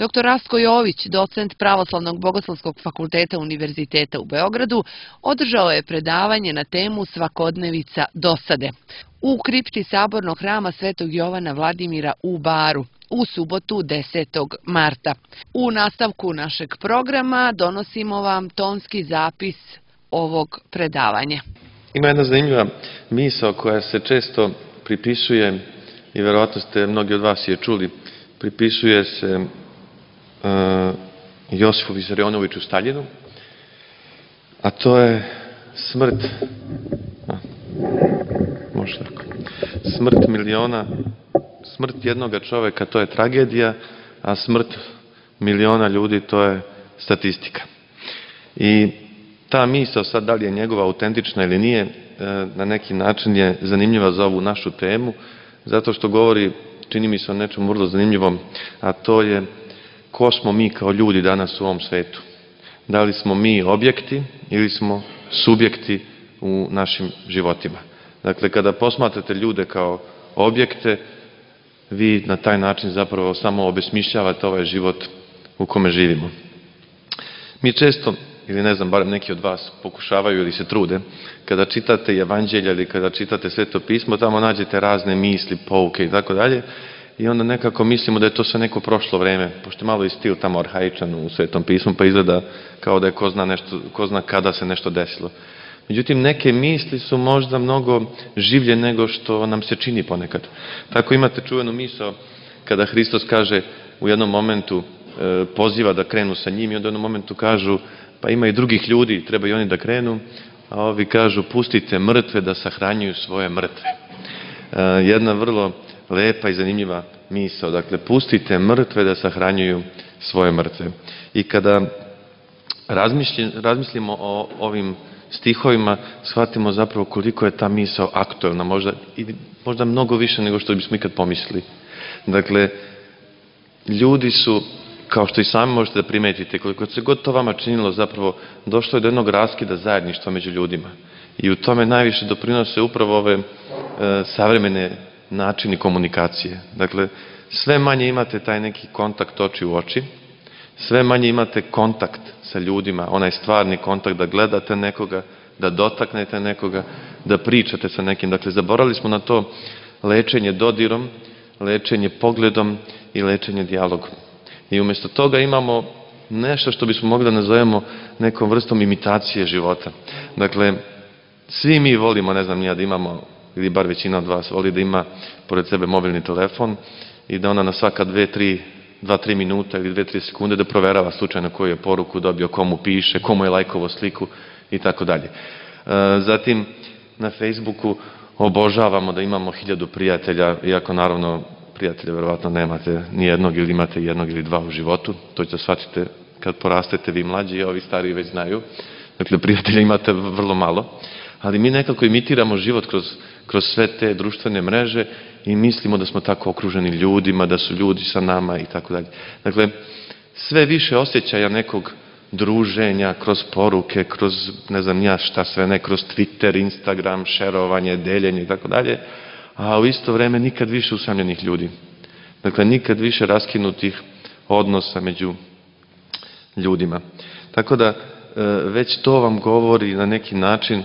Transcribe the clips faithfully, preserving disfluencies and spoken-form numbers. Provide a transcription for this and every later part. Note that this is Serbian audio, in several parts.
doktor Rastko Jović, docent Pravoslavnog bogoslovskog fakulteta Univerziteta u Beogradu, održao je predavanje na temu Svakodnevica dosade u kripti Sabornog hrama Svetog Jovana Vladimira u Baru u subotu desetog marta. U nastavku našeg programa donosimo vam tonski zapis ovog predavanja. Ima jedna zanimljiva misao koja se često pripisuje, i verovatno ste mnogi od vas je čuli, pripisuje se uh, Josifu Visarionoviću Staljinu, a to je smrt, a, može tako, smrt miliona, smrt jednoga čoveka, to je tragedija, a smrt miliona ljudi, to je statistika. I ta misao, sad da li je njegova autentična ili nije, na neki način je zanimljiva za ovu našu temu, zato što govori, čini mi se o nečem vrlo zanimljivom, a to je ko smo mi kao ljudi danas u ovom svetu. Da li smo mi objekti ili smo subjekti u našim životima. Dakle, kada posmatrate ljude kao objekte, vi na taj način zapravo samo obesmišljavate ovaj život u kome živimo. Mi često, ili ne znam, barem neki od vas pokušavaju ili se trude, kada čitate evanđelja ili kada čitate Sveto pismo, tamo nađete razne misli, pouke i tako dalje, i onda nekako mislimo da je to sve neko prošlo vreme, pošto malo je stil tamo arhaičan u Svetom pismu, pa izgleda kao da je ko zna, nešto, ko zna kada se nešto desilo. Međutim, neke misli su možda mnogo življe nego što nam se čini ponekad. Tako imate čuvenu misao kada Hristos kaže u jednom momentu, e, poziva da krenu sa njim, i onda u jednom momentu kažu, pa ima i drugih ljudi, treba i oni da krenu, a ovi kažu, pustite mrtve da sahranjuju svoje mrtve. E, jedna vrlo lepa i zanimljiva misao, dakle, pustite mrtve da sahranjuju svoje mrtve. I kada razmislimo o ovim stihovima, shvatimo zapravo koliko je ta misao aktuelna, možda, možda mnogo više nego što bismo ikad pomislili. Dakle, ljudi su, kao što i sami možete da primetite, koliko se god to vama činilo, zapravo došlo je do jednog raskida zajedništva među ljudima. I u tome najviše doprinose upravo ove e, savremene načini komunikacije. Dakle, sve manje imate taj neki kontakt oči u oči, sve manje imate kontakt sa ljudima, onaj stvarni kontakt da gledate nekoga, da dotaknete nekoga, da pričate sa nekim. Dakle, zaboravili smo na to lečenje dodirom, lečenje pogledom i lečenje dijalogom. I umjesto toga imamo nešto što bismo mogli da nazovemo nekom vrstom imitacije života. Dakle, svi mi volimo, ne znam nija, da imamo, ili bar većina od vas voli da ima pored sebe mobilni telefon i da ona na svaka dve, tri, dva, tri minuta ili dve, tri sekunde da proverava slučajno koju je poruku dobio, komu piše, komu je lajkovo sliku i tako dalje. Zatim, na Facebooku obožavamo da imamo hiljadu prijatelja, iako naravno prijatelja verovatno nemate ni jednog ili imate jednog ili dva u životu. To ćete shvatite kad porastete vi mlađi, a ovi stariji već znaju. Dakle, prijatelja imate vrlo malo. Ali mi nekako imitiramo život kroz, kroz sve te društvene mreže i mislimo da smo tako okruženi ljudima, da su ljudi sa nama i tako dalje. Dakle, sve više osjećaja nekog druženja kroz poruke, kroz ne znam ja šta sve ne, kroz Twitter, Instagram, šerovanje, deljenje i tako dalje, a u isto vreme nikad više usamljenih ljudi. Dakle, nikad više raskinutih odnosa među ljudima. Tako da, već to vam govori na neki način,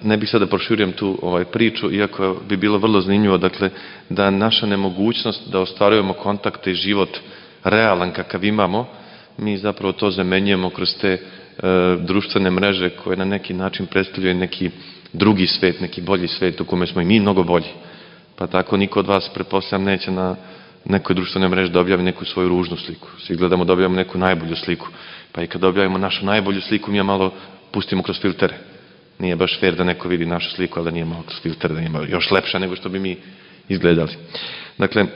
ne bih sada proširujem tu ovaj priču, iako bi bilo vrlo zanimljivo, dakle, da naša nemogućnost da ostvarujemo kontakte i život realan kakav imamo, mi zapravo to zamenjujemo kroz te e, društvene mreže koje na neki način predstavljaju neki drugi svet, neki bolji svet u kome smo i mi mnogo bolji. Pa tako niko od vas, pretpostavljam, neće na nekoj društvenoj mreži da objavi neku svoju ružnu sliku. Svi gledamo da objavimo neku najbolju sliku. Pa i kad objavimo našu najbolju sliku, mi je malo pustimo kroz filtere. Nije baš fair da neko vidi našu sliku, ali da nije malo kroz filtere, da nije malo još lepša nego što bi mi izgledali. Dakle,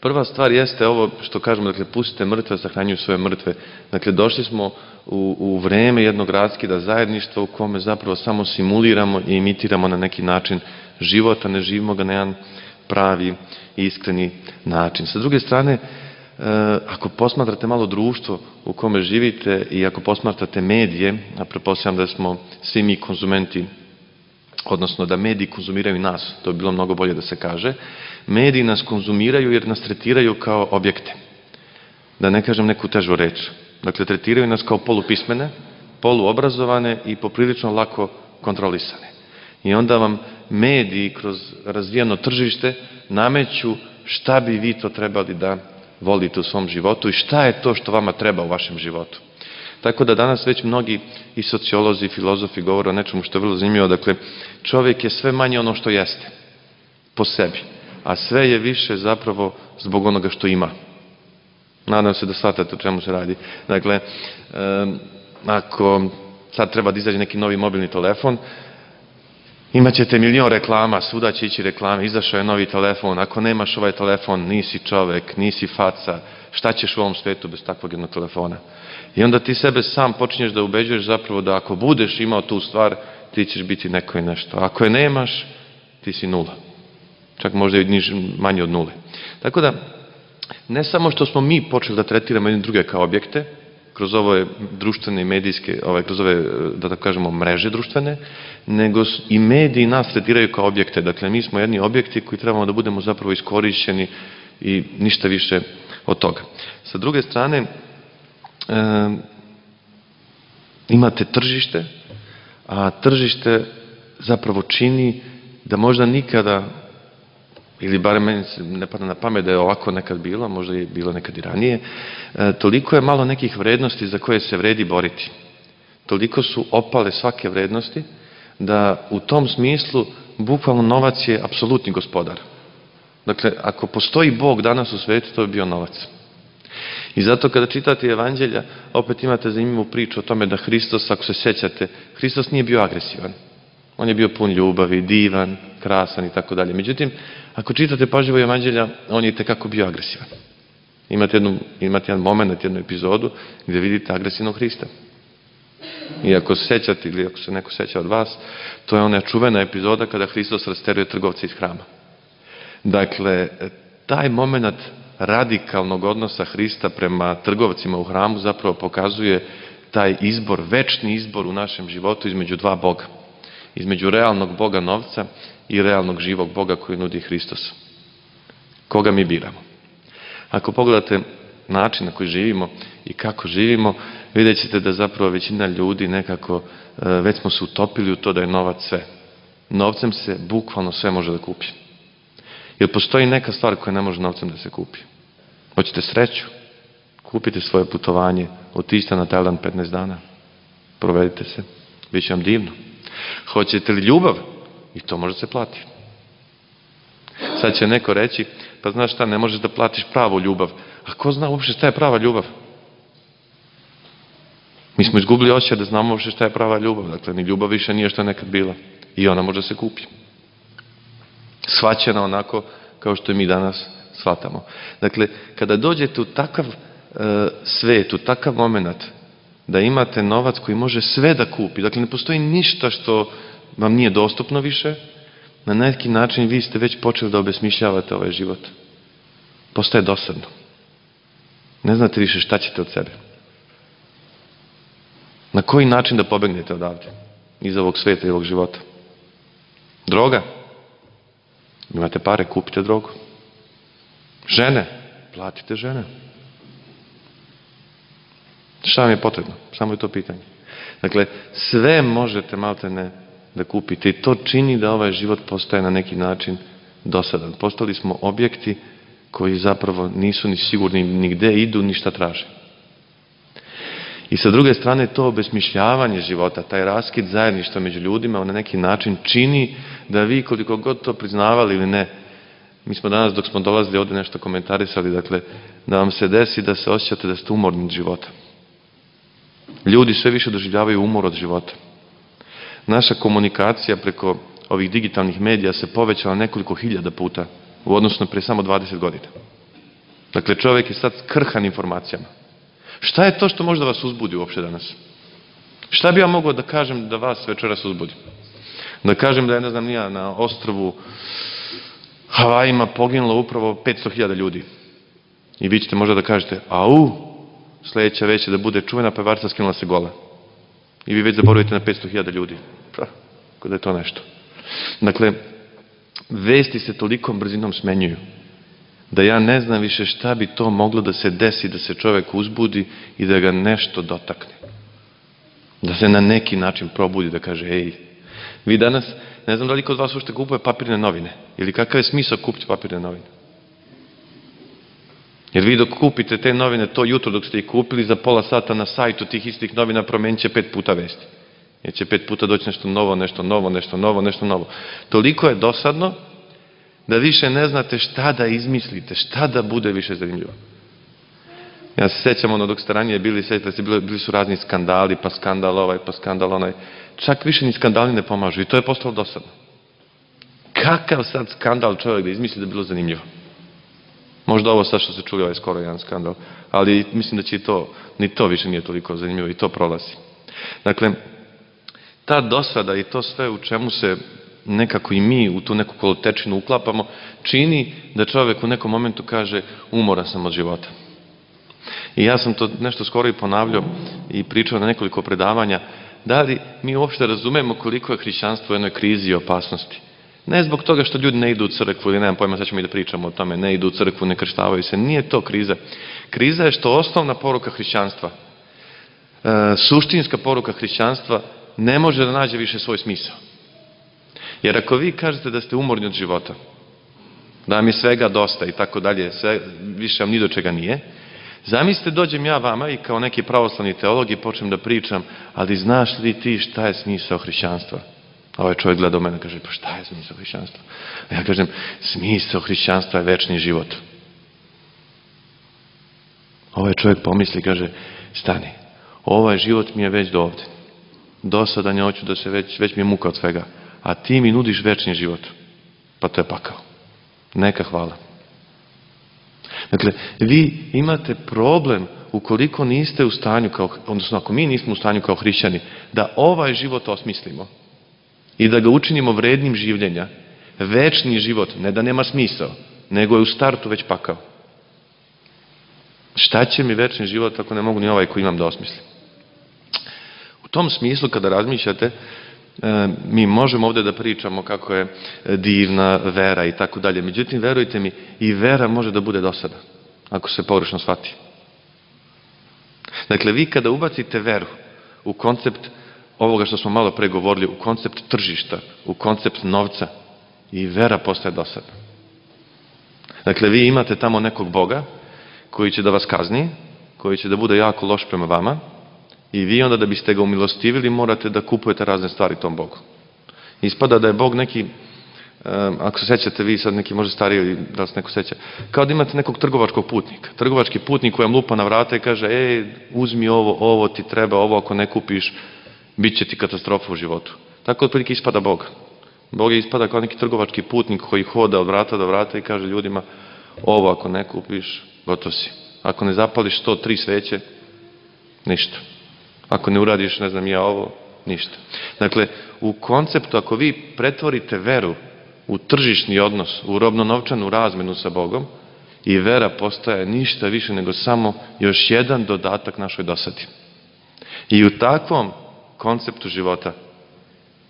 prva stvar jeste ovo što kažemo, dakle, pustite mrtve, sahranjuju svoje mrtve. Dakle, došli smo u, u vreme jednog raskida zajedništva u kome zapravo samo simuliramo i imitiramo na neki način život, a ne živimo ga na jedan pravi i iskreni način. Sa druge strane, ako posmatrate malo društvo u kome živite i ako posmatrate medije, a pretpostavljam da smo svi mi konzumenti, odnosno da mediji konzumiraju nas, to bi bilo mnogo bolje da se kaže, mediji nas konzumiraju jer nas tretiraju kao objekte. da ne kažem neku težu reč. Dakle, tretiraju nas kao polupismene, poluobrazovane i poprilično lako kontrolisane. I onda vam mediji kroz razvijeno tržište nameću šta bi vi to trebali da volite u svom životu i šta je to što vama treba u vašem životu. Tako da danas već mnogi i sociolozi i filozofi govore o nečemu što je vrlo zanimljivo. Dakle, čovjek je sve manje ono što jeste po sebi, a sve je više zapravo zbog onoga što ima. Nadam se da shvatate o čemu se radi. Dakle, ako sad treba da izađe neki novi mobilni telefon, imat ćete milion reklama, svuda će ići reklame, izašao je novi telefon, ako nemaš ovaj telefon, nisi čovek, nisi faca, šta ćeš u ovom svetu bez takvog jednog telefona? I onda ti sebe sam počinješ da ubeđuješ zapravo da ako budeš imao tu stvar, ti ćeš biti neko i nešto. Ako je nemaš, ti si nula. Čak možda i manje od nule. Tako da, ne samo što smo mi počeli da tretiramo jedne druge kao objekte, kroz ove društvene i medijske, ove, kroz ove, da tako kažemo, mreže društvene, nego i mediji nas tretiraju kao objekte. Dakle, mi smo jedni objekti koji trebamo da budemo zapravo iskorišćeni i ništa više od toga. Sa druge strane, e, imate tržište, a tržište zapravo čini da možda nikada, ili barem meni se ne pada na pamet da je ovako nekad bilo, možda je bilo nekad i ranije, e, toliko je malo nekih vrednosti za koje se vredi boriti. Toliko su opale svake vrednosti, da u tom smislu bukvalno novac je apsolutni gospodar. Dakle, ako postoji Bog danas u svetu, to bi bio novac. I zato kada čitate evanđelja, opet imate zanimljivu priču o tome da Hristos, ako se sjećate, Hristos nije bio agresivan. On je bio pun ljubavi, divan, krasan i tako dalje. Međutim, ako čitate pažljivo evanđelja, on je itekako bio agresivan. Imate, jednu, imate jedan moment, jednu epizodu gdje vidite agresivnog Hrista. I ako se sjećate, ili ako se neko sjeća od vas, to je ona čuvena epizoda kada Hristos rasteruje trgovce iz hrama. Dakle, taj moment radikalnog odnosa Hrista prema trgovcima u hramu zapravo pokazuje taj izbor, večni izbor u našem životu između dva Boga. Između realnog Boga novca i realnog živog Boga koji nudi Hristos. Koga mi biramo? Ako pogledate način na koji živimo i kako živimo, vidjet ćete da zapravo većina ljudi nekako, već smo se utopili u to da je novac sve. Novcem se bukvalno sve može da kupi. Jer postoji neka stvar koja ne može novcem da se kupi. Hoćete sreću? Kupite svoje putovanje, otiđite na Tajland petnaest dana, provedite se, bit će vam divno. Hoćete li ljubav? I to može se platiti. Sad će neko reći, pa znaš šta, ne možeš da platiš pravu ljubav. A ko zna uopšte šta je prava ljubav? Mi smo izgubili osjećaj da znamo uopšte šta je prava ljubav. Dakle, ni ljubav više nije što je nekad bila. I ona može se kupi. Shvaćena onako kao što mi danas shvatamo. Dakle, kada dođete u takav e, svet, u takav moment, da imate novac koji može sve da kupi. Dakle, ne postoji ništa što vam nije dostupno više. Na neki način vi ste već počeli da obesmišljavate ovaj život. Postaje dosadno. Ne znate više šta ćete od sebe. Na koji način da pobegnete odavde? Iz ovog sveta i ovog života. Droga? Imate pare, kupite drogu. Žene? Platite žene. Šta vam je potrebno? Samo je to pitanje. Dakle, sve možete maltene da kupite i to čini da ovaj život postaje na neki način dosadan. Postali smo objekti koji zapravo nisu ni sigurni ni gde idu, ni šta traže. I sa druge strane to obesmišljavanje života, taj raskid zajedništva među ljudima, on na neki način čini da vi koliko god to priznavali ili ne, mi smo danas dok smo dolazili ovde nešto komentarisali, dakle, da vam se desi da se osjećate da ste umorni od života. Ljudi sve više doživljavaju umor od života. Naša komunikacija preko ovih digitalnih medija se povećala nekoliko hiljada puta u odnosu na pre samo dvadeset godina. Dakle, čovjek je sad krhan informacijama. Šta je to što možda vas uzbudi uopšte danas? Šta bi ja mogao da kažem da vas večeras uzbudi? Da kažem da je, ne znam, nija na ostrvu Havajima poginulo upravo petsto hiljada ljudi. I vi ćete možda da kažete, au, sledeća već je da bude čuvena pevarca skinula se gola. I vi već zaboravite na petsto hiljada ljudi. Pa, kada je to nešto. Dakle, vesti se tolikom brzinom smenjuju da ja ne znam više šta bi to moglo da se desi, da se čovek uzbudi i da ga nešto dotakne. Da se na neki način probudi, da kaže, ej, vi danas, ne znam da li kod vas ušte kupuje papirne novine, ili kakav je smisao kupiti papirne novine. Jer vi dok kupite te novine to jutro dok ste ih kupili, za pola sata na sajtu tih istih novina promenit će pet puta vesti. Jer će pet puta doći nešto novo, nešto novo, nešto novo, nešto novo. Toliko je dosadno da više ne znate šta da izmislite, šta da bude više zanimljivo. Ja se sećam ono dok ste ranije bili, sećate se, bili su razni skandali, pa skandal ovaj, pa skandal onaj. Čak više ni skandali ne pomažu i to je postalo dosadno. Kakav sad skandal čovjek da izmisli da je bilo zanimljivo? Možda ovo sad što se čuli ovaj skoro jedan skandal, ali mislim da će i to, ni to više nije toliko zanimljivo i to prolazi. Dakle, ta dosada i to sve u čemu se nekako i mi u tu neku kolotečinu uklapamo, čini da čovjek u nekom momentu kaže umoran sam od života. I ja sam to nešto skoro i ponavljao i pričao na nekoliko predavanja, da li mi uopšte razumemo koliko je hrišćanstvo u jednoj krizi i opasnosti. Ne zbog toga što ljudi ne idu u crkvu ili nemam pojma, sad ćemo i da pričamo o tome, ne idu u crkvu, ne krštavaju se, nije to kriza. Kriza je što osnovna poruka hrišćanstva, e, suštinska poruka hrišćanstva ne može da nađe više svoj smisao. Jer ako vi kažete da ste umorni od života, da vam je svega dosta i tako dalje, sve, više vam ni do čega nije, zamislite dođem ja vama i kao neki pravoslavni teolog i počnem da pričam, ali znaš li ti šta je smisao hrišćanstva? A ovaj čovjek gleda u mene i kaže, pa šta je smisao hrišćanstva? A ja kažem, smisao hrišćanstva je večni život. Ovaj čovjek pomisli i kaže, stani, ovaj život mi je već do ovde. Dosadan je, hoću da se već, već mi je muka od svega. A ti mi nudiš večni život. Pa to je pakao. Neka hvala. Dakle, vi imate problem ukoliko niste u stanju, kao, odnosno ako mi nismo u stanju kao hrišćani, da ovaj život osmislimo i da ga učinimo vrednim življenja, večni život, ne da nema smisao, nego je u startu već pakao. Šta će mi večni život ako ne mogu ni ovaj koji imam da osmislim? U tom smislu, kada razmišljate, mi možemo ovdje da pričamo kako je divna vera i tako dalje. Međutim, verujte mi, i vera može da bude dosada, ako se pogrešno shvati. Dakle, vi kada ubacite veru u koncept ovoga što smo malo pre govorili, u koncept tržišta, u koncept novca, i vera postaje dosadna. Dakle, vi imate tamo nekog Boga koji će da vas kazni, koji će da bude jako loš prema vama, i vi onda da biste ga umilostivili morate da kupujete razne stvari tom Bogu. Ispada da je Bog neki, ako se sećate vi sad neki možda stariji ili da se neko seća, kao da imate nekog trgovačkog putnika. Trgovački putnik koji vam lupa na vrata i kaže, ej, uzmi ovo, ovo ti treba, ovo ako ne kupiš, bit će ti katastrofa u životu. Tako otprilike ispada Bog. Bog je ispada kao neki trgovački putnik koji hoda od vrata do vrata i kaže ljudima, ovo ako ne kupiš, gotov si. Ako ne zapališ sto tri sveće, ništa. Ako ne uradiš, ne znam ja ovo, ništa. Dakle, u konceptu, ako vi pretvorite veru u tržišni odnos, u robno-novčanu razmenu sa Bogom, i vera postaje ništa više nego samo još jedan dodatak našoj dosadi. I u takvom konceptu života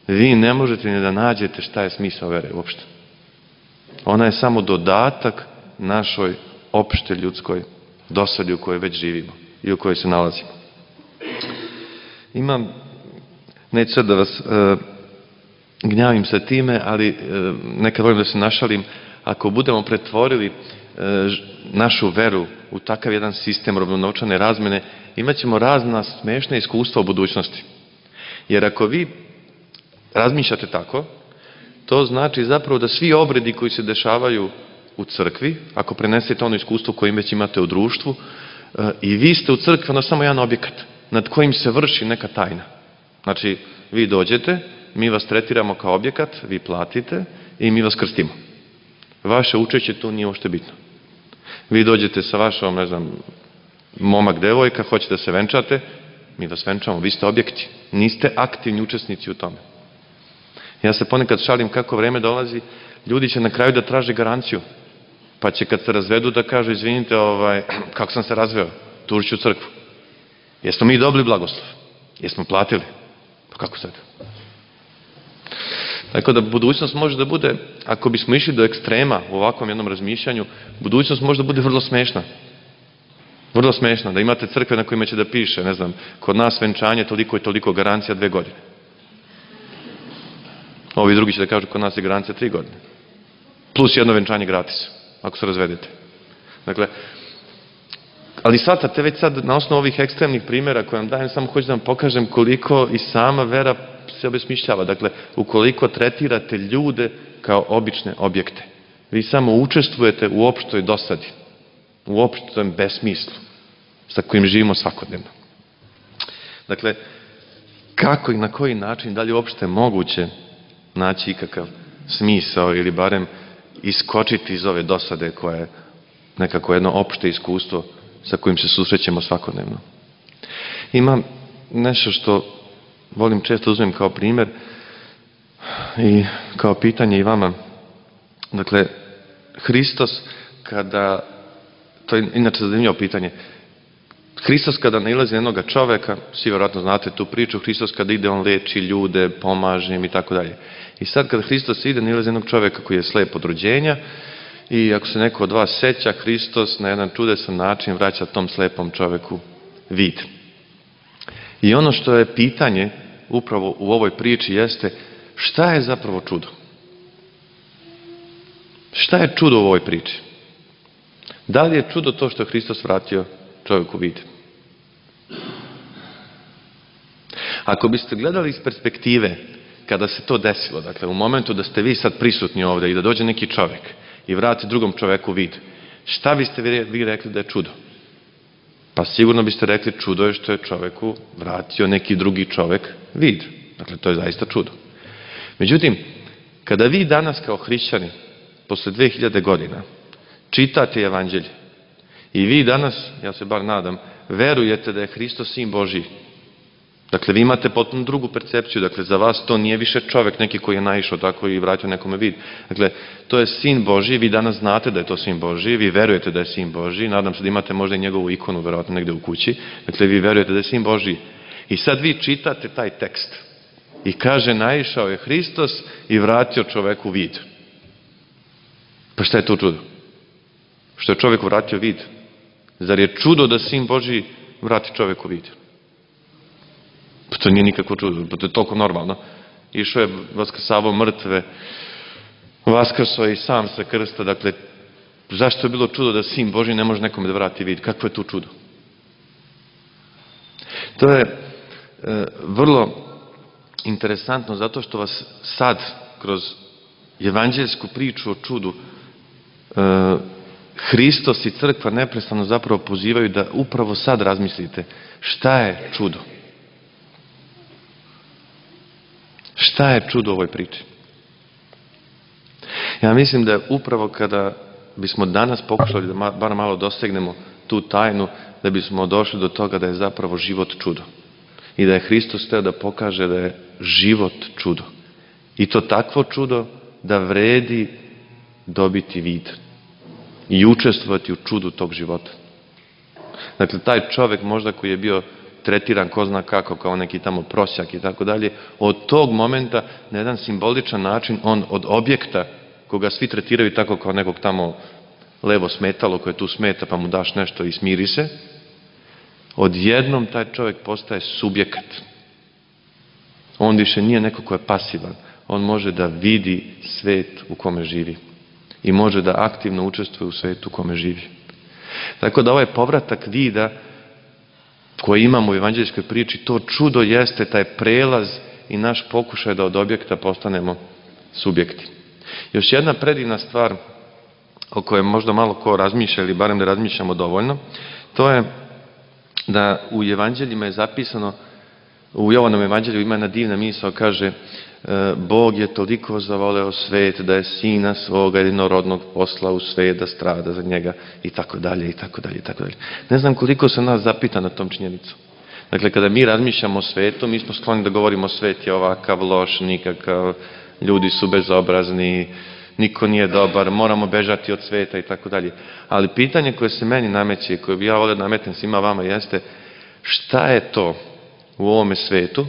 vi ne možete ni da nađete šta je smisao vere uopšte. Ona je samo dodatak našoj opšte ljudskoj dosadi u kojoj već živimo i u kojoj se nalazimo. Imam, neću sad da vas e, gnjavim sa time, ali e, nekad volim da se našalim, ako budemo pretvorili e, našu veru u takav jedan sistem robno-novčane razmene, imat ćemo razna smešna iskustva u budućnosti. Jer ako vi razmišljate tako, to znači zapravo da svi obredi koji se dešavaju u crkvi, ako prenesete ono iskustvo koje već imate u društvu, e, i vi ste u crkvi, onda samo jedan objekat nad kojim se vrši neka tajna. Znači, vi dođete, mi vas tretiramo kao objekat, vi platite i mi vas krstimo. Vaše učešće tu nije uopšte bitno. Vi dođete sa vašom, ne znam, momak, devojka, hoćete da se venčate, mi vas venčamo, vi ste objekti. Niste aktivni učesnici u tome. Ja se ponekad šalim kako vreme dolazi, ljudi će na kraju da traže garanciju, pa će kad se razvedu da kažu, izvinite, ovaj, kako sam se razveo, tužit ću crkvu. Jesmo mi dobili blagoslov? Jesmo platili? Pa kako sad? Tako da budućnost može da bude, ako bismo išli do ekstrema u ovakvom jednom razmišljanju, budućnost može da bude vrlo smešna. Vrlo smešna, da imate crkve na kojima će da piše, ne znam, kod nas venčanje toliko i toliko, garancija dve godine. Ovi drugi će da kažu kod nas je garancija tri godine. Plus jedno venčanje gratis, ako se razvedete. Dakle, ali shvatate već sad na osnovu ovih ekstremnih primjera koje vam dajem, samo hoću da vam pokažem koliko i sama vera se obesmišljava. Dakle, ukoliko tretirate ljude kao obične objekte, vi samo učestvujete u opštoj dosadi, u opštom besmislu sa kojim živimo svakodnevno. Dakle, kako i na koji način, da li uopšte moguće naći ikakav smisao ili barem iskočiti iz ove dosade koja je nekako jedno opšte iskustvo sa kojim se susrećemo svakodnevno. Ima nešto što volim često uzmem kao primjer i kao pitanje i vama. Dakle, Hristos kada, to je inače zanimljivo pitanje, Hristos kada nailazi na jednog čoveka, svi vjerojatno znate tu priču, Hristos kada ide, on leči ljude, pomaže im i tako dalje. I sad kada Hristos ide, nailazi jednog čoveka koji je slep od rođenja i ako se neko od vas seća, Hristos na jedan čudesan način vraća tom slepom čoveku vid. I ono što je pitanje upravo u ovoj priči jeste šta je zapravo čudo? Šta je čudo u ovoj priči? Da li je čudo to što je Hristos vratio čovjeku vid? Ako biste gledali iz perspektive kada se to desilo, dakle u momentu da ste vi sad prisutni ovdje i da dođe neki čovjek i vrati drugom čovjeku vid, šta biste vi rekli da je čudo? Pa sigurno biste rekli čudo je što je čovjeku vratio neki drugi čovjek vid. Dakle, to je zaista čudo. Međutim, kada vi danas kao hrišćani, posle dve hiljade godina, čitate evanđelje i vi danas, ja se bar nadam, verujete da je Hristos sin Božji. Dakle, vi imate potpuno drugu percepciju. Dakle, za vas to nije više čovjek neki koji je naišao tako i vratio nekome vid. Dakle, to je sin Božji, vi danas znate da je to sin Božji, vi verujete da je sin Božji, nadam se da imate možda i njegovu ikonu, verovatno negde u kući. Dakle, vi verujete da je sin Božji. I sad vi čitate taj tekst i kaže, naišao je Hristos i vratio čoveku vid. Pa šta je to čudo? Što je čovjeku vratio vid? Zar je čudo da sin Božji vrati čoveku vid? Pa to nije nikakvo čudo, pa to je toliko normalno. Išao je vaskrsavao mrtve, vaskrso je i sam sa krsta, dakle, zašto je bilo čudo da sin Božji ne može nekome da vrati vid? Kakvo je tu čudo? To je e, vrlo interesantno zato što vas sad, kroz evanđeljsku priču o čudu, e, Hristos i crkva neprestano zapravo pozivaju da upravo sad razmislite šta je čudo. Šta je čudo u ovoj priči? Ja mislim da upravo kada bismo danas pokušali da bar malo dosegnemo tu tajnu, da bismo došli do toga da je zapravo život čudo. I da je Hristos teo da pokaže da je život čudo. I to takvo čudo da vredi dobiti vid i učestvovati u čudu tog života. Dakle, taj čovjek možda koji je bio tretiran ko zna kako, kao neki tamo prosjak i tako dalje, od tog momenta na jedan simboličan način on od objekta koga svi tretiraju tako kao nekog tamo levo smetalo koje tu smeta pa mu daš nešto i smiri se, odjednom taj čovjek postaje subjekat. On više nije neko ko je pasivan. On može da vidi svet u kome živi i može da aktivno učestvuje u svetu u kome živi. Tako da ovaj povratak vida koji imamo u evanđeljskoj priči, to čudo jeste taj prelaz i naš pokušaj da od objekta postanemo subjekti. Još jedna predivna stvar o kojoj možda malo ko razmišlja ili barem da razmišljamo dovoljno, to je da u evanđeljima je zapisano, u Jovanom evanđelju ima jedna divna misao, kaže Bog je toliko zavoleo svet da je sina svoga jedinorodnog poslao u svet da strada za njega i tako dalje i tako dalje i tako dalje. Ne znam koliko se nas zapita na tom činjenicu. Dakle, kada mi razmišljamo o svetu, mi smo skloni da govorimo svet je ovakav, loš, nikakav, ljudi su bezobrazni, niko nije dobar, moramo bežati od sveta i tako dalje. Ali pitanje koje se meni nameće i koje bi ja volio da nametnem svima vama jeste šta je to u ovome svetu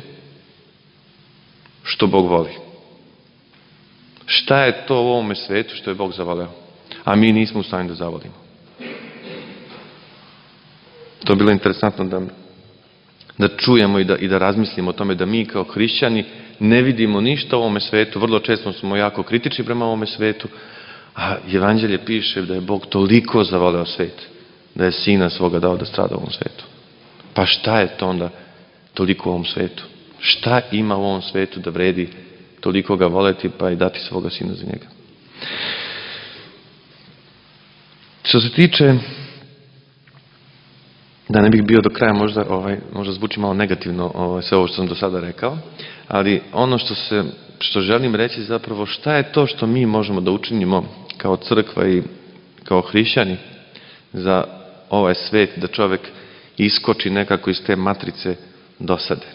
što Bog voli? Šta je to u ovome svetu što je Bog zavoleo, a mi nismo u stanju da zavolimo? To je bilo interesantno da, da čujemo i da, i da razmislimo o tome da mi kao hrišćani ne vidimo ništa u ovome svetu, vrlo često smo jako kritični prema ovome svetu, a Evanđelje piše da je Bog toliko zavoleo svet, da je Sina svoga dao da strada u ovom svetu. Pa šta je to onda toliko u ovom svetu? Šta ima u ovom svetu da vredi toliko ga voleti pa i dati svoga Sina za njega? Što se tiče, da ne bih bio do kraja, možda, ovaj, možda zvuči malo negativno ovaj, sve ovo što sam do sada rekao, ali ono što, se, što želim reći zapravo šta je to što mi možemo da učinimo kao crkva i kao hrišćani za ovaj svet, da čovjek iskoči nekako iz te matrice dosade.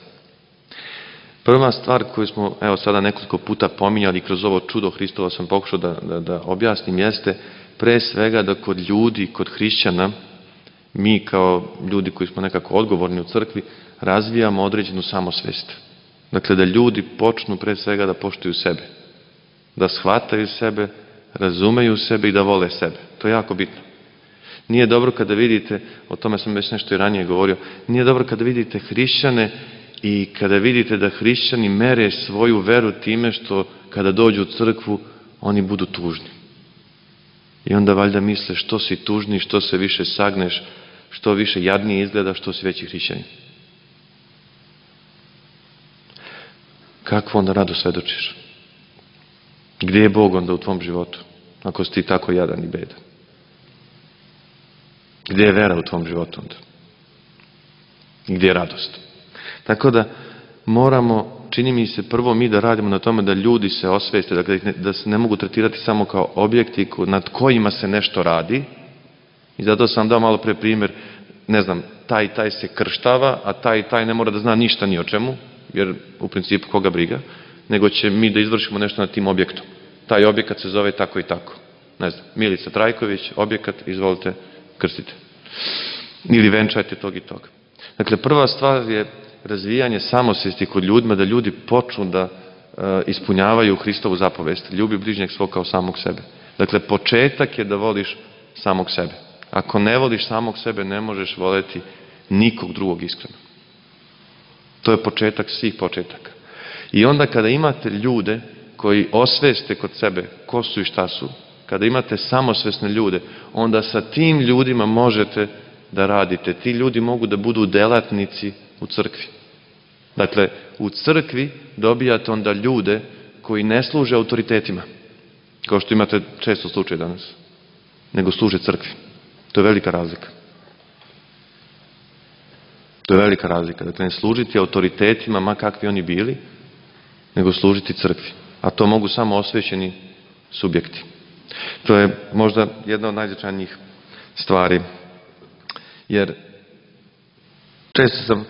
Prva stvar koju smo evo sada nekoliko puta pominjali kroz ovo čudo Hristovo sam pokušao da, da, da objasnim jeste pre svega da kod ljudi, kod hrišćana, mi kao ljudi koji smo nekako odgovorni u crkvi razvijamo određenu samosvest. Dakle, da ljudi počnu pre svega da poštuju sebe, da shvataju sebe, razumeju sebe i da vole sebe. To je jako bitno. Nije dobro kada vidite, o tome sam već nešto i ranije govorio, nije dobro kada vidite hrišćane i kada vidite da hrišćani mere svoju veru time što kada dođu u crkvu oni budu tužni. I onda valjda misle što si tužni, što se više sagneš, što više jadnije izgleda, što si veći hrišćanin. Kakvu onda radost svedočiš? Gdje je Bog onda u tvom životu, ako si ti tako jadan i bedan? Gdje je vera u tvom životu onda? I gdje je radost? Tako da moramo, čini mi se, prvo mi da radimo na tome da ljudi se osveste, dakle, da se ne mogu tretirati samo kao objekti nad kojima se nešto radi. I zato sam dao malo pre primjer, ne znam, taj i taj se krštava, a taj i taj ne mora da zna ništa ni o čemu, jer u principu koga briga, nego će mi da izvršimo nešto nad tim objektom. Taj objekat se zove tako i tako. Ne znam, Milica Trajković, objekat, izvolite, krstite. Ili venčajte tog i tog. Dakle, prva stvar je razvijanje samosvesti kod ljudima, da ljudi počnu da e, ispunjavaju Hristovu zapovest. Ljubi bližnjeg svog kao samog sebe. Dakle, početak je da voliš samog sebe. Ako ne voliš samog sebe, ne možeš voleti nikog drugog iskreno. To je početak svih početaka. I onda kada imate ljude koji osveste kod sebe ko su i šta su, kada imate samosvesne ljude, onda sa tim ljudima možete da radite. Ti ljudi mogu da budu delatnici u crkvi. Dakle, u crkvi dobijate onda ljude koji ne služe autoritetima, kao što imate često slučaj danas, nego služe crkvi. To je velika razlika. To je velika razlika. Dakle, ne služiti autoritetima, ma kakvi oni bili, nego služiti crkvi. A to mogu samo osvećeni subjekti. To je možda jedna od najznačajnijih stvari. Jer često sam e,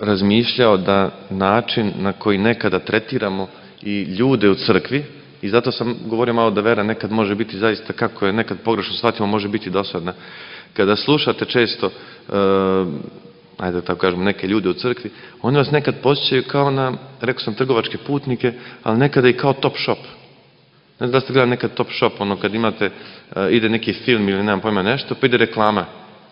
razmišljao da način na koji nekada tretiramo i ljude u crkvi, i zato sam govorio malo da vera nekad može biti zaista, kako je nekad pogrešno shvatimo, može biti dosadna. Kada slušate često, e, ajde da tako kažemo, neke ljude u crkvi, oni vas nekad posjećaju kao na, rekao sam, trgovačke putnike, ali nekada i kao top shop. Ne znam da ste gledali nekad top shop, ono kad imate, e, ide neki film ili nemam pojma nešto, pa ide reklama,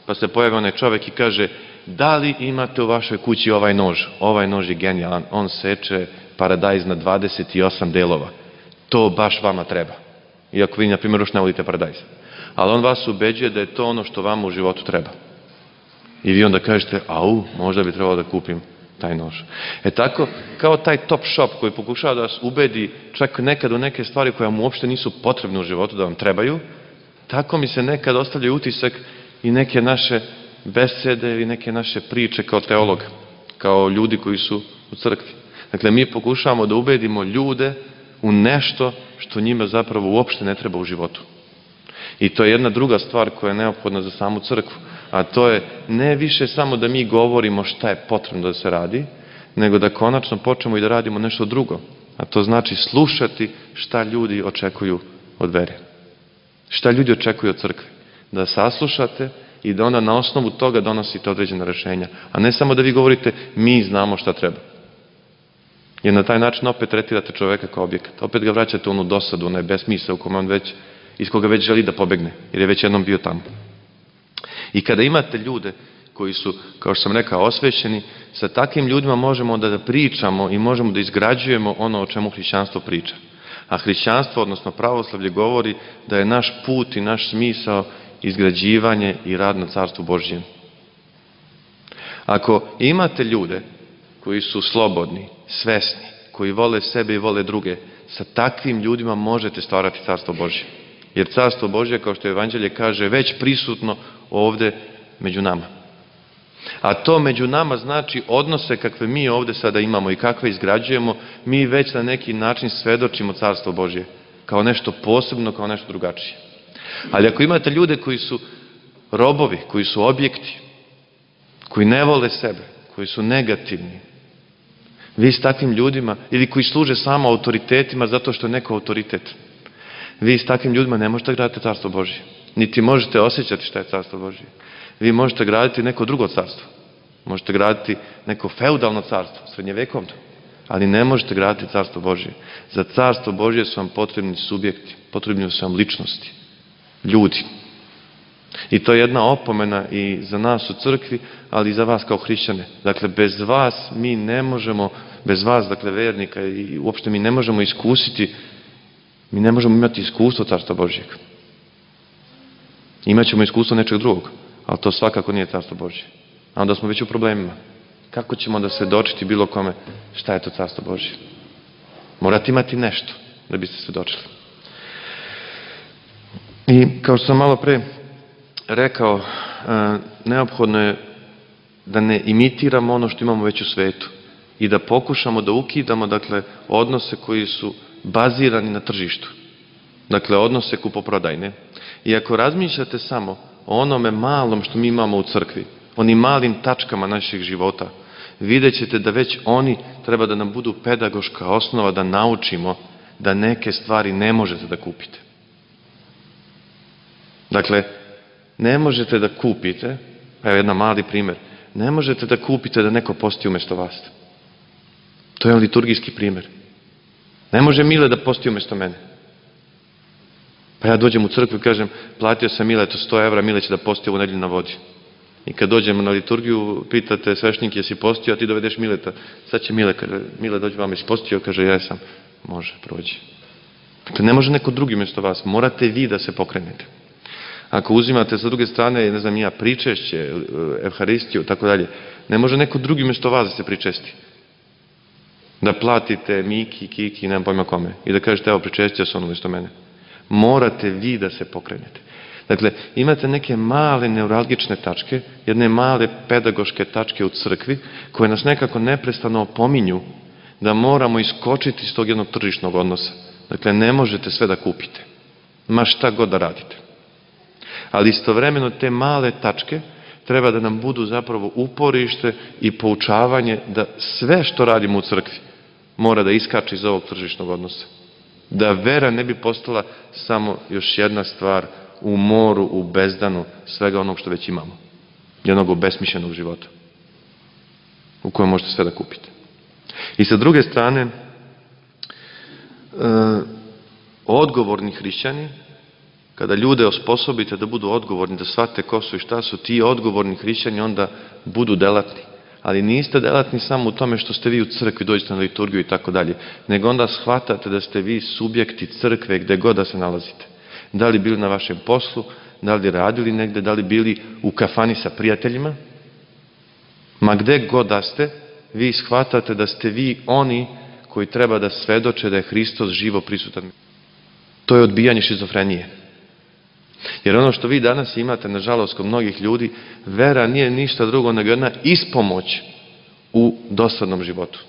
pa se pojavi onaj čovjek i kaže, da li imate u vašoj kući ovaj nož? Ovaj nož je genijalan, on seče paradajz na dvadeset osam delova. To baš vama treba. Iako vi, na primjer, još ne volite paradajz. Ali on vas ubeđuje da je to ono što vama u životu treba. I vi onda kažete, au, možda bi trebalo da kupim taj nož. E tako, kao taj top shop koji pokušava da vas ubedi čak nekad u neke stvari koje vam uopšte nisu potrebne u životu, da vam trebaju, tako mi se nekad ostavlja utisak i neke naše besede ili neke naše priče kao teolog, kao ljudi koji su u crkvi. Dakle, mi pokušavamo da ubedimo ljude u nešto što njima zapravo uopšte ne treba u životu. I to je jedna druga stvar koja je neophodna za samu crkvu. A to je ne više samo da mi govorimo šta je potrebno da se radi, nego da konačno počnemo i da radimo nešto drugo. A to znači slušati šta ljudi očekuju od vere. Šta ljudi očekuju od crkve. Da saslušate i da onda na osnovu toga donosite određena rešenja. A ne samo da vi govorite mi znamo šta treba. Jer na taj način opet tretirate čoveka kao objekat. Opet ga vraćate u onu dosadu, onaj besmisao u kome on već, iz koga već želi da pobegne, jer je već jednom bio tamo. I kada imate ljude koji su, kao što sam rekao, osvećeni, sa takvim ljudima možemo da pričamo i možemo da izgrađujemo ono o čemu hrišćanstvo priča. A hrišćanstvo, odnosno pravoslavlje, govori da je naš put i naš smisao izgrađivanje i rad na Carstvu Božjem. Ako imate ljude koji su slobodni, svesni, koji vole sebe i vole druge, sa takvim ljudima možete stvarati Carstvo Božje. Jer Carstvo Božje, kao što Evanđelje kaže, već prisutno ovde među nama. A to među nama znači odnose kakve mi ovde sada imamo i kakve izgrađujemo, mi već na neki način svedočimo Carstvo Božje kao nešto posebno, kao nešto drugačije. Ali ako imate ljude koji su robovi, koji su objekti, koji ne vole sebe, koji su negativni, vi s takvim ljudima, ili koji služe samo autoritetima zato što je neko autoritet, vi s takvim ljudima ne možete graditi Carstvo Božje. Niti možete osjećati šta je Carstvo Božje. Vi možete graditi neko drugo carstvo. Možete graditi neko feudalno carstvo, srednjevekovno, ali ne možete graditi Carstvo Božje. Za Carstvo Božje su vam potrebni subjekti, potrebni su vam ličnosti, ljudi. I to je jedna opomena i za nas u crkvi, ali i za vas kao hrišćane. Dakle, bez vas mi ne možemo, bez vas, dakle, vernika, i uopšte mi ne možemo iskusiti, mi ne možemo imati iskustvo Carstva Božjeg. Imaćemo iskustvo nečeg drugog, ali to svakako nije Carstvo Božje. A onda smo već u problemima. Kako ćemo da svedočiti bilo kome šta je to Carstvo Božje? Morate imati nešto da biste svedočili. I kao što sam malo pre rekao, neophodno je da ne imitiramo ono što imamo već u svetu i da pokušamo da ukidamo, dakle, odnose koji su bazirani na tržištu. Dakle, odnose kupoprodajne. I ako razmišljate samo o onome malom što mi imamo u crkvi, onim malim tačkama naših života, vidjet ćete da već oni treba da nam budu pedagoška osnova da naučimo da neke stvari ne možete da kupite. Dakle, ne možete da kupite, evo jedan mali primer, ne možete da kupite da neko posti umesto vas. To je liturgijski primer. Ne može Mile da posti umesto mene. Pa ja dođem u crkvu i kažem, platio sam Miletu sto evra, Mile će da posti ovu nedelju na vodi. I kad dođemo na liturgiju, pitate sveštenike jesi postio, a ti dovedeš Mileta. Sad će Mile, kaže, Mile dođe vama, jesi postio? Kaže, ja sam. Može, prođi. Dakle, ne može neko drugi umesto vas. Morate vi da se pokrenete. Ako uzimate sa druge strane, ne znam ja, pričešće, evharistiju, tako dalje, ne može neko drugi umesto vas da se pričesti. Da platite Miki, Kiki, nemam pojma kome. I da kažete, evo, pričestio se on umesto mene. Morate vi da se pokrenete. Dakle, imate neke male neuralgične tačke, jedne male pedagoške tačke u crkvi, koje nas nekako neprestano opominju da moramo iskočiti iz tog jednog tržišnog odnosa. Dakle, ne možete sve da kupite. Ma šta god da radite. Ali istovremeno te male tačke treba da nam budu zapravo uporište i poučavanje da sve što radimo u crkvi mora da iskače iz ovog tržišnog odnosa. Da vera ne bi postala samo još jedna stvar u moru, u bezdanu svega onog što već imamo. Jednog obesmišljenog života u kojem možete sve da kupite. I sa druge strane, e, odgovorni hrišćani, kada ljude osposobite da budu odgovorni, da shvate ko su i šta su, ti odgovorni hrišćani onda budu delatni. Ali niste delatni samo u tome što ste vi u crkvi, dođete na liturgiju i tako dalje, nego onda shvatate da ste vi subjekti crkve gde god da se nalazite. Da li bili na vašem poslu, da li radili negde, da li bili u kafani sa prijateljima, ma gde god da ste, vi shvatate da ste vi oni koji treba da svedoče da je Hristos živo prisutan. To je odbijanje šizofrenije. Jer ono što vi danas imate, nažalost, kod mnogih ljudi, vera nije ništa drugo nego jedna ispomoć u dosadnom životu.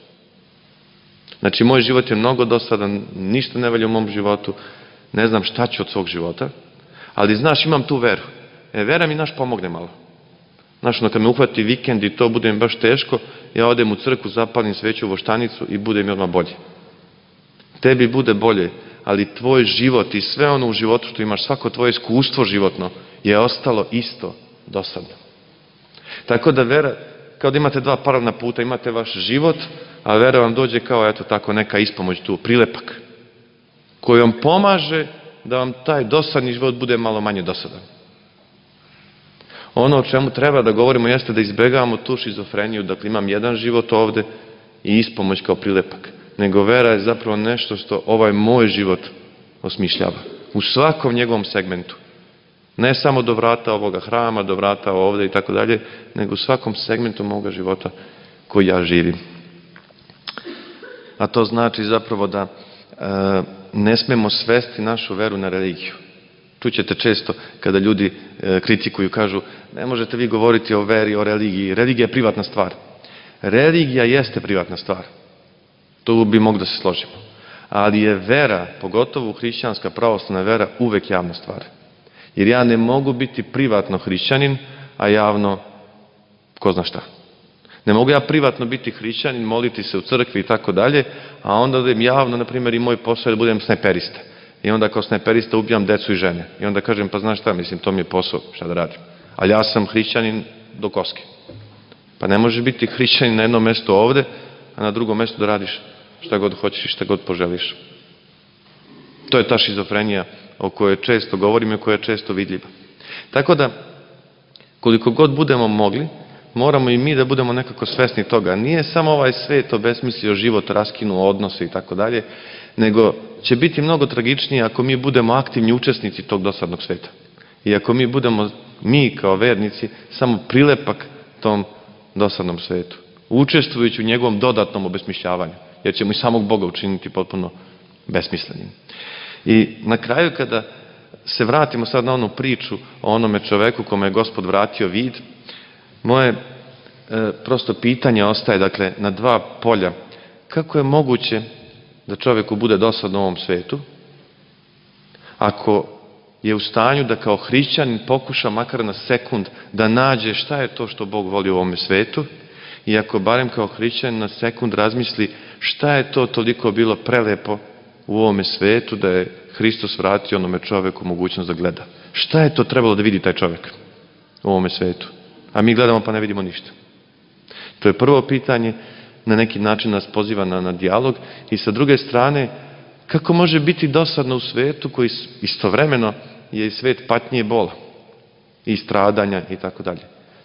Znači, moj život je mnogo dosadan, ništa ne valja u mom životu, ne znam šta ću od svog života, ali znaš, imam tu veru. E, vera mi naš pomogne malo. Znaš, ono, kad me uhvati vikend i to bude mi baš teško, ja odem u crkvu, zapalim sveću u voštanicu i bude mi odmah bolje. Tebi bude bolje, ali tvoj život i sve ono u životu što imaš, svako tvoje iskustvo životno je ostalo isto dosadno. Tako da vera, kao da imate dva paralelna puta, imate vaš život a vera vam dođe kao eto tako neka ispomoć tu, prilepak, koji vam pomaže da vam taj dosadni život bude malo manje dosadan. Ono o čemu treba da govorimo jeste da izbegavamo tu šizofreniju, dakle imam jedan život ovde i ispomoć kao prilepak, nego vera je zapravo nešto što ovaj moj život osmišljava. U svakom njegovom segmentu. Ne samo do vrata ovoga hrama, do vrata ovde i tako dalje, nego u svakom segmentu moga života koji ja živim. A to znači zapravo da e, ne smemo svesti našu veru na religiju. Čućete često kada ljudi e, kritikuju, kažu ne možete vi govoriti o veri, o religiji. Religija je privatna stvar. Religija jeste privatna stvar. Tu bi mogli da se složimo. Ali je vera, pogotovo hrišćanska pravoslavna vera, uvek javna stvar. Jer ja ne mogu biti privatno hrišćanin, a javno ko zna šta. Ne mogu ja privatno biti hrišćanin, moliti se u crkvi i tako dalje, a onda da im javno, na primjer, i moj posao je da budem snajperista. I onda kao snajperista ubijam decu i žene. I onda kažem, pa znaš šta, mislim, to mi je posao, šta da radim. Ali ja sam hrišćanin do koske. Pa ne može biti hrišćanin na jednom mestu ovde, a na drugom mestu da radiš šta god hoćeš i šta god poželiš. To je ta šizofrenija o kojoj često govorimo i koja je često vidljiva. Tako da, koliko god budemo mogli, moramo i mi da budemo nekako svesni toga. Nije samo ovaj svet obesmislio život, raskinuo odnose i tako dalje, nego će biti mnogo tragičnije ako mi budemo aktivni učesnici tog dosadnog sveta. I ako mi budemo, mi kao vernici, samo prilepak tom dosadnom svetu, učestvujući u njegovom dodatnom obesmišljavanju, jer ćemo i samog Boga učiniti potpuno besmislenim. I na kraju, kada se vratimo sad na onu priču o onome čoveku kome je Gospod vratio vid, moje e, prosto pitanje ostaje, dakle, na dva polja. Kako je moguće da čoveku bude dosadno u ovom svetu, ako je u stanju da kao hrišćanin pokuša makar na sekund da nađe šta je to što Bog voli u ovome svetu, i ako barem kao hrišćanin na sekund razmisli šta je to toliko bilo prelepo u ovome svetu da je Hristos vratio onome čoveku mogućnost da gleda. Šta je to trebalo da vidi taj čovek u ovome svetu? A mi gledamo pa ne vidimo ništa. To je prvo pitanje, na neki način nas poziva na, na dijalog, i sa druge strane, kako može biti dosadno u svetu koji istovremeno je i svet patnje i bola i stradanja i tako dalje.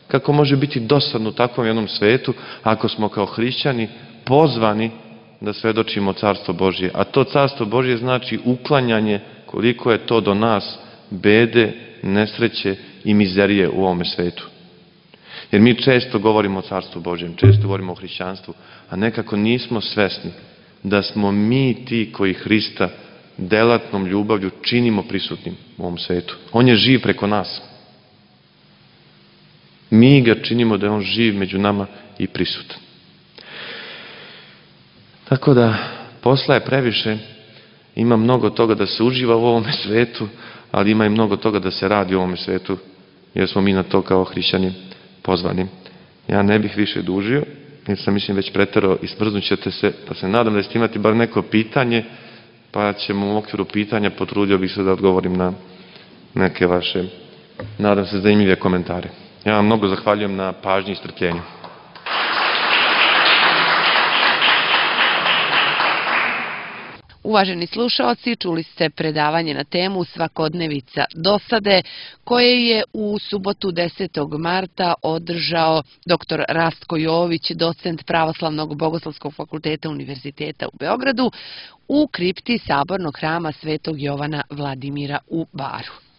Kako može biti dosadno u takvom jednom svetu ako smo kao hrišćani pozvani da svedočimo Carstvo Božje. A to Carstvo Božje znači uklanjanje, koliko je to do nas, bede, nesreće i mizerije u ovome svetu. Jer mi često govorimo o Carstvu Božjem, često govorimo o hrišćanstvu, a nekako nismo svesni da smo mi ti koji Hrista delatnom ljubavlju činimo prisutnim u ovom svetu. On je živ preko nas. Mi ga činimo da je on živ među nama i prisutan. Tako da, posla je previše, ima mnogo toga da se uživa u ovome svetu, ali ima i mnogo toga da se radi u ovome svetu, jer smo mi na to kao hrišćani pozvani. Ja ne bih više dužio, jer sam mislim već preterao i smrznut ćete se, pa se nadam da ćete imati bar neko pitanje, pa ćemo u okviru pitanja, potrudio bih se da odgovorim na neke vaše, nadam se, zanimljive komentare. Ja vam mnogo zahvaljujem na pažnji i strpljenju. Uvaženi slušaoci, čuli ste predavanje na temu Svakodnevica dosade, koje je u subotu desetog marta održao doktor Rastko Jović, docent Pravoslavnog bogoslovskog fakulteta Univerziteta u Beogradu, u kripti Sabornog hrama Svetog Jovana Vladimira u Baru.